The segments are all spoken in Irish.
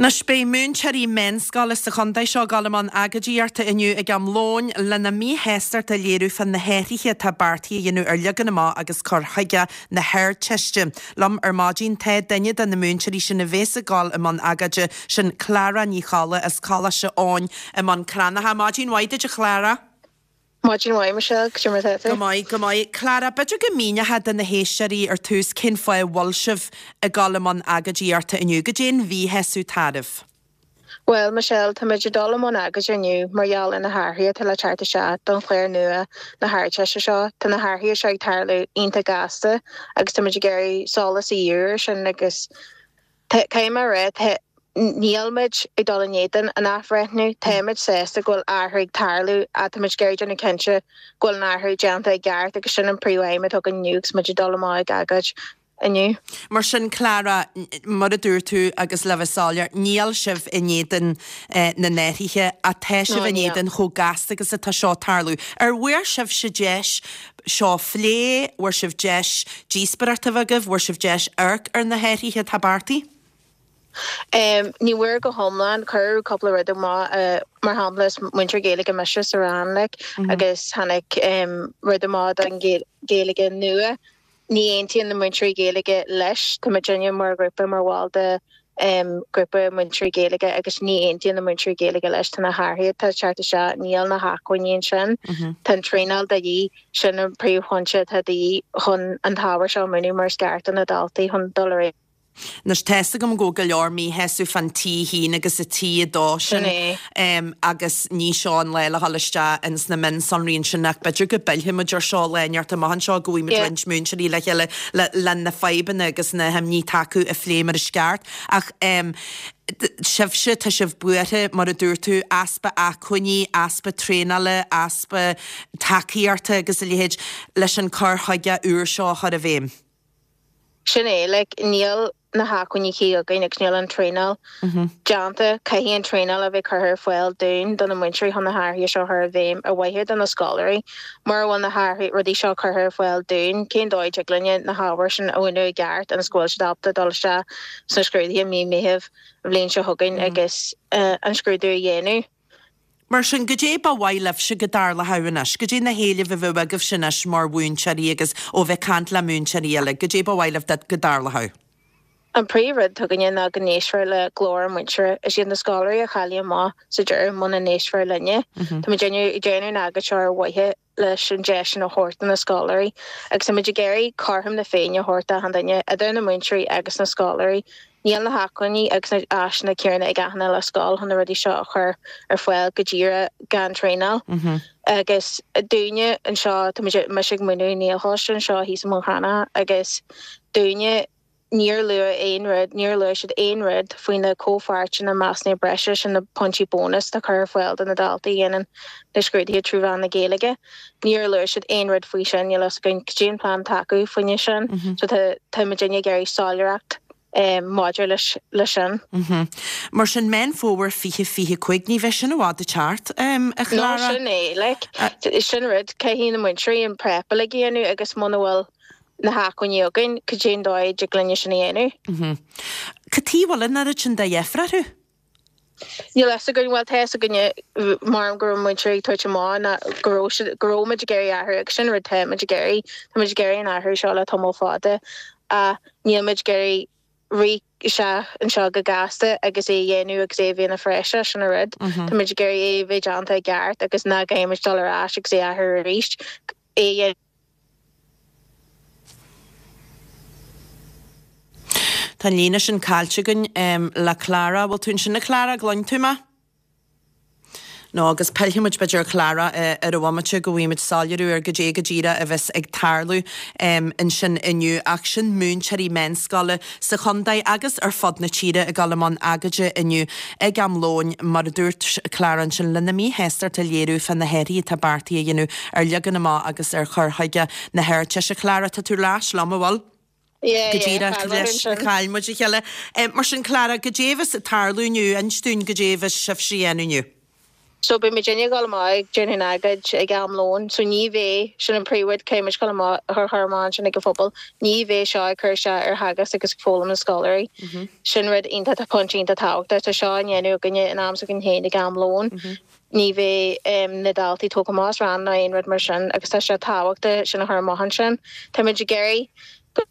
Anois beidh múinteoirí meánscoile sa chontae seo ag dul i mbun agóidíochta inniu ag am lóin lena míshástacht a léiriú fá na hathruithe atá beartaithe a dhéanamh ar leagan amach agus cur chuige na hArdteiste. Liom ar maidin tá duine de na múinteoirí sin a bhéas ag dul i mbun agóide, sin Clára Ní Cholla as Coláiste Eoin i mBun Cranncha. Maidin mhaith duit a Chlára. Maidin mhaith, Michelle, cad é mar atá tú? Go maith, go maith. Clára, b'fhéidir go míneofá do na héisteoirí ar tús cén fáth a bhfuil sibh ag dul i mbun agóidíochta inniu. Goidé an mhíshásamh atá oraibh? Bhuel, Michelle, táimid ag dul i mbun agóide inniu mar gheall ar na hathruithe atá le teacht isteach don chlár nua na hArdteiste seo. Tá na hathruithe seo ag tarlú iontach gasta agus táimid ag iarraidh solas a dhíriú air sin agus Caithfidh mé a rá, níl muid ag dul in éadan an athbhreithniú. Táimid sásta go bhfuil athrú ag tarlú ach táimid ag iarraidh déanamh cinnte go bhfuil an athrú déanta i gceart agus sin an príomhaidhm atá againn inniu agus muid ag dul amach ag agóid inniu. Mar sin, Clara, mar a dúirt tú agus le bheith soiléir, níl sibh in éadan na n-athruithe ach tá sibh in éadan chomh gasta agus atá seo ag tarlú. Ar bhfuair sibhse deis seo a phlé, bhfuair sibh deis díospóireacht a bheith agaibh, bhfuair sibh deis amharc ar na hathruithe atá beartaithe? Ní bhfuair go hiomlán, cuireadh cúpla rud amach, mar shampla is múinteoir Gaeilge mise sa rang like agus tháinig rud amach don Ghaeilge nua Ní aontaíonn na múinteoirí Gaeilge leis. Tá muidinne mar ghrúpa, mar bhall de ghrúpa múinteoirí Gaeilge agus ní aontaíonn na múinteoirí Gaeilge leis. Tá na hathruithe atá ag teacht isteach, níl na hacmhainní ansin. Tá an traenáil de dhíth, sin an príomhphointe atá de dhíth chun an t-ábhar seo a mhúineadh mar is ceart do na daltaí chun dul ar aghaidh. Anois, tá's agam go bhfuil go leor míshásamh fán T1 agus an T2 sin agus ní seo an lá le dhul isteach ins na mionsonraí ansin ach b'fhéidir go bpillfidh muid ar seo lá inteacht amach anseo go bhfaighidh muid roinnt múinteoirí le chéile le le na fadhbanna agus na himní atá acu a phlé mar is ceart. Ach sibhse, tá sibh buartha, mar a dúirt tú, easpa acmhainní, easpa traenála, easpa tacaíochta agus a leithéid leis an cur chuige úr seo a chur i bhfeidhm. Sin é, like, níl na hacmhainní cuí againn agus níl an traenáil déanta. Caithfidh an traenáil a bheith curtha ar fáil dúinn, do na múinteoirí chun na hathruithe seo a chur i bhfeidhm ar mhaithe do na scoláirí. Mura bhfuil na hathruithe, rudaí seo curtha ar fáil dúinn, cén dóigh a dtig linne na hábhair sin a mhúineadh i gceart ionas go bhfuil siad ábalta dul isteach sna scrúduithe i mí Meitheamh an bhliain seo chugainn agus an scrúdú a dhéanamh. Mar sin, goidé ba mhaith libhse go dtarlódh anois? Goidé na héilimh a bheadh agaibhse anois mar mhúinteoirí agus ó bheith ag caint le múinteoirí eile, goidé ba mhaith libh go dtarlódh? An príomh rud atá againne ná go n-éistfear le glór an mhúinteora. Is iad na scoláirí a chaillfidh amach sa deireadh muna n-éistfear linne. Tá muid ag déanamh an agóid seo ar mhaithe leis an deis sin a thabhairt do na scoláirí agus tá muid ag iarraidh cothrom na Féinne a thabhairt d'achan duine, idir na múinteoirí agus na scoláirí. Níl na hacmhainní agus na áiseanna céanna ag achan uile scoil chun na rudaí seo a chur ar fáil go díreach gan traenáil. Agus dúinne anseo, tá muid, mise ag múineadh i nGaelcholáiste anseo thíos i mBun Cranncha agus dúinne, Níor luadh aon rud, níor luaigh siad aon rud faoi na comhpháirteanna measúnaithe breise, sin na pointí bónais atá curtha ar fáil do na daltaí a dhéanann na scrúduithe trí mheán na Gaeilge. Níor luaigh siad aon rud faoi sin, níl a fhios againn cad é an plean atá acu faoina sin. So tá, tá muidinne ag iarraidh soiléireacht maidir leis, leis sin. Mar sin, Meán Fómhair 2025, ní bheidh sin i bhfad ag teacht, a Chlára. No, sin é, like, sin rud, caithfidh na múinteoirí an prep uilig a dhéanamh agus muna bhfuil, na hacmhainní againn, cad é an dóigh a dtig linne sin a dhéanamh? Cad chuige a bhfuil an oiread sin de dheifir orthu? Níl a fhios againn, bhuel tá a fhios againne mar go raibh múinteoirí ag tabhairt amach ná go raibh siad, go raibh muid ag iarraidh athrú agus sin rud tá muid ag iarraidh, tá muid ag iarraidh an athrú seo le tamall fada ach níl muid ag iarraidh rith isteach anseo go gasta agus é a dhéanamh agus é a bheith ina phraiseach, sin an rud. Tá muid ag iarraidh é a bheith déanta i gceart agus nach gcaithfidh muid dul ar ais agus é a athrú arís, é a dhéanamh. Tá an líne sin caillte againn le Clara. Bhfuil tú ansin a Chlara, gcluin tú mé? No, agus pillfidh muid b'fhéidir ar Chlara ar an bhomaite go bhfaighidh muid soiléiriú ar goidé go díreach a bheas ag tarlú ansin inniu. Ach sin múinteoirí meánscoile sa chontae agus ar fud na tíre ag dul i mbun agóide inniu ag am lóin, mar a dúirt Clara ansin, lena míshástacht a léiriú fá na hathruithe atá beartaithe a dhéanamh ar leagan amach agus ar chur chuige na hArdteiste. Clara, tá tú ar ais liom, an bhfuil? Yeah, Go yeah, díreach chaill muid leis, ansin. chaill muid a chéile. Mar sin, Clara, goidé a bheas ag tarlú inniu, inis dúinn goidé a bheas sibhse a dhéanamh inniu. So beidh muidinne ag dul amach ag déanamh an agóid ag am lóin, so ní bheidh, sin an príomhrud, caithfidh muid dul amach a chur chur amach ansin ag an phobal, ní bheidh seo ag cur isteach ar theagasc agus foghlaim na scoláirí. Sin rud iontach, pointe iontach tábhachtach. Tá seo á ndéanamh againne in am s'againn féin ag am lóin. Ní bheidh na daltaí tógtha amach as rang ná aon rud mar sin agus tá sé tábhachtach sin a chur amach ansin. Táimid ag iarraidh go.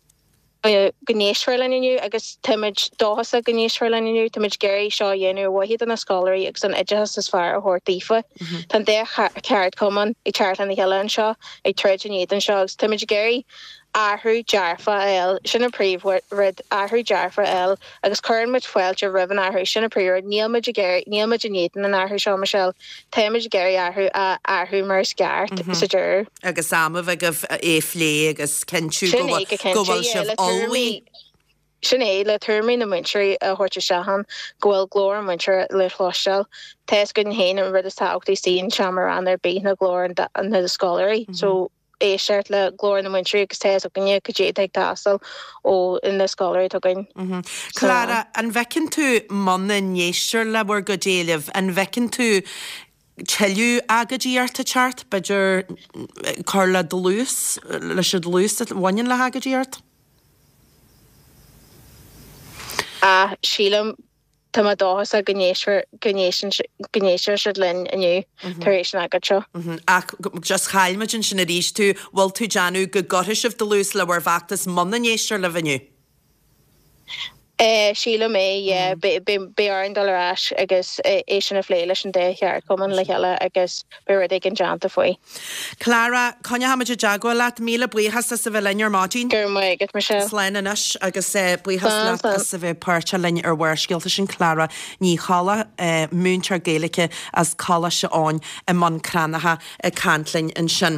go n-éistfear linn inniu agus táimid dóchasach go n-éistfear linn inniu. Táimid ag iarraidh seo a dhéanamh ar mhaithe do na scoláirí agus an oideachas is fearr a thabhairt daofa. Tá an dá cheardchumann ag teacht lena chéile anseo, ag troid in éadan seo agus táimid ag iarraidh athrú dearfach a fháil. Sin an príomhrud, athrú dearfach a fháil agus cuireann muid fáilte roimh an athrú. Sin an príomhrud. Níl muid ag iarraidh, níl muid in éadan an athrú seo, Michelle. Táimid ag iarraidh athrú a athrú mar is ceart sa deireadh. Agus am a bheith agaibh é a phlé agus cinntiú go bhfuil go bhfuil sibh ullmhaithe. Sin é, le tuairimí na múinteoirí a thabhairt isteach ann, go bhfuil glór an mhúinteora le cloisteáil. Tá fhios againn féin an rud is tábhachtaí istigh i seomra ranga ar bith ná glór na scoláirí. So éisteacht le glór na múinteoirí agus tá fhios againne cad é atá ag teastáil ó na scoláirí atá againn. Clara, an bhfeiceann tú muna n-éistear le bhur gcuid éileamh, an bhfeiceann tú tuilleadh agóidíochta ag teacht, b'fhéidir cur le dlús, leis an dlús a bhaineann le hagóidíocht? Ah, sílim Tá mé dóchasach go n-éistfear, go n-éisteann, go n-éistfidh siad linn inniu tar éis an agóid seo. Ach just chaill muid ansin arís tú, bhfuil tú ag déanamh go gcuirfidh sibh dlús le bhur bhfeachtas muna n-éistear libh inniu? Eh, sílim é, yeah. Beidh, beidh, beidh orainn dul ar ais agus é sin a phlé leis an dá cheardchumann le chéile agus beidh rud éigin déanta faoi. Clara, coinneochaimid i dteagmháil leat. Míle buíochas as a bheith linn ar maidin. Go raibh maith agat, Michelle. Slán anois agus buíochas leat as a bheith páirteach linn ar Bharrscéalta. Sin Clara Ní Cholla, múinteoir Gaeilge as Coláiste Eoin i mBun Cranncha ag caint linn ansin.